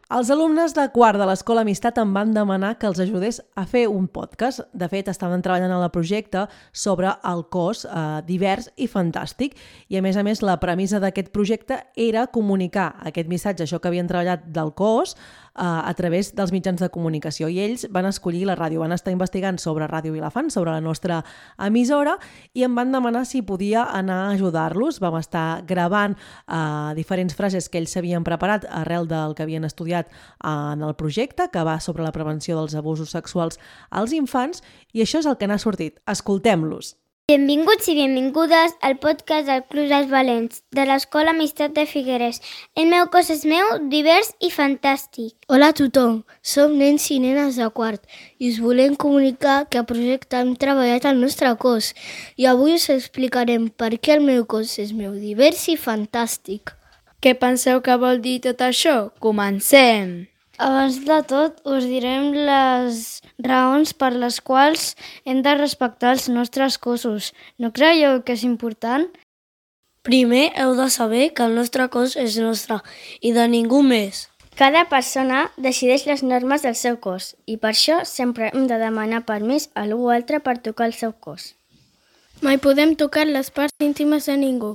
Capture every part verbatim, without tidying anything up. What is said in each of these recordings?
Els alumnes de quart de l'Escola Amistat em van demanar que els ajudés a fer un podcast. De fet, estaven treballant en el projecte sobre el cos eh, divers i fantàstic. I a més a més, la premissa d'aquest projecte era comunicar aquest missatge, això que havien treballat del cos, eh, a través dels mitjans de comunicació. I ells van escollir la ràdio, van estar investigant sobre Ràdio Vilafant, sobre la nostra emissora, i em van demanar si podia anar a ajudar-los. Vam estar gravant eh, diferents frases que ells s'havien preparat arrel del que havien estudiat en el projecte, que va sobre la prevenció dels abusos sexuals als infants, i això és el que n'ha sortit. Escoltem-los. Benvinguts i benvingudes al podcast del Club dels Valents, de l'Escola Amistat de Figueres. El meu cos és meu, divers i fantàstic. Hola a tothom, som nens i nenes de quart i us volem comunicar que a projecte hem treballat el nostre cos i avui us explicarem per què el meu cos és meu, divers i fantàstic. Què penseu que vol dir tot això? Comencem! Abans de tot, us direm les raons per les quals hem de respectar els nostres cossos. No creieu que és important? Primer, heu de saber que el nostre cos és nostre i de ningú més. Cada persona decideix les normes del seu cos i per això sempre hem de demanar permís a algú altre per tocar el seu cos. Mai podem tocar les parts íntimes de ningú.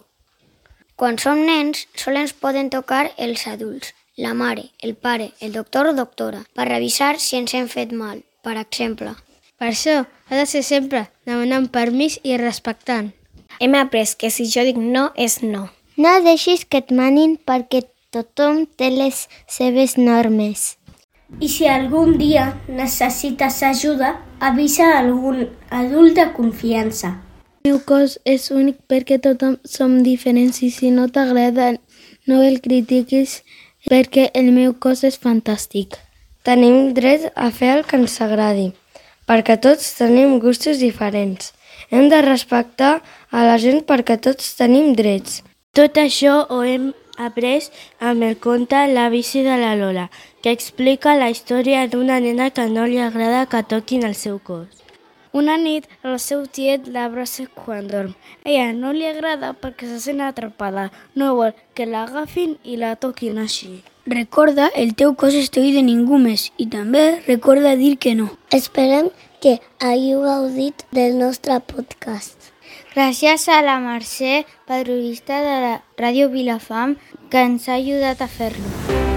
Quan som nens, sols ens poden tocar els adults, la mare, el pare, el doctor o doctora, per revisar si ens hem fet mal, per exemple. Per això ha de ser sempre demanant permís i respectant. Hem après que si jo dic no, és no. No deixis que et manin perquè tothom té les seves normes. I si algun dia necessites ajuda, avisa algun adult de confiança. El meu cos és únic perquè tothom som diferents i si no t'agrada no el critiquis perquè el meu cos és fantàstic. Tenim dret a fer el que ens agradi, perquè tots tenim gustos diferents. Hem de respectar a la gent perquè tots tenim drets. Tot això ho hem après amb el conte La bici de la Lola, que explica la història d'una nena que no li agrada que toquin el seu cos. Una nit, el seu tiet l'abraça quan dorm. Ella no li agrada perquè se sent atrapada. No vol que l'agafin i la toquin així. Recorda, el teu cos és teu i de ningú més. I també recorda dir que no. Esperem que hàgiu gaudit del nostre podcast. Gràcies a la Mercè, periodista de la Ràdio Vilafant, que ens ha ajudat a fer-lo.